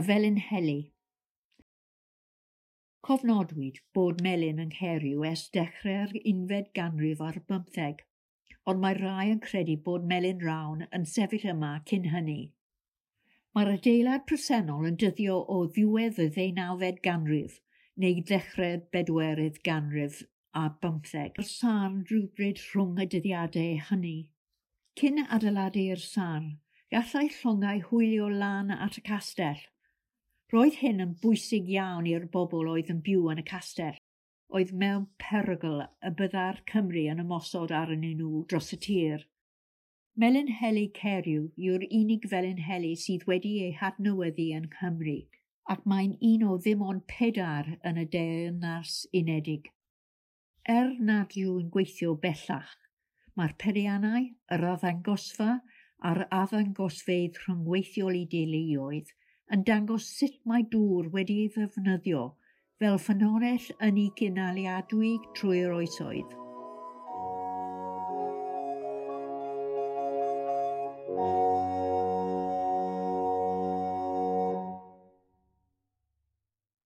Y Felinheli. Cofnodwyd bod melin yng Nghaeriw ers dechrau'r unfed ganrif ar bymtheg, ond mae rhai yn credu bod melin rawn yn sefyll yma cyn hynny. Mae'r adeilad presennol yn dyddio o ddiwedd y ddeunawfed ganrif neu ddechrau'r bedwerydd ganrif ar bymtheg. Yr sarn rhywbryd rhwng y dyddiadau hynny. Cyn adeiladu'r sarn, gallai llongau hwylio lan at y castell. Roedd hyn yn bwysig iawn i'r bobl oedd yn byw yn y castell, oedd mewn perygl y byddai'r Cymry yn ymosod arnyn nhw dros y tir. Melin Heli Caeriw yw'r unig Felinheli sydd wedi ei hadnewyddu yn Nghymru, ac mae'n un o ddim ond pedair yn y Deyrnas Unedig. Er nad yw'n gweithio bellach, mae'r peiriannau, yr arddangosfa a'r arddangosfeydd rhyngweithiol i deuluoedd yn dangos sut mae dŵr wedi ei ddefnyddio fel ffynhonnell ynni cynaliadwy trwy'r oesoedd.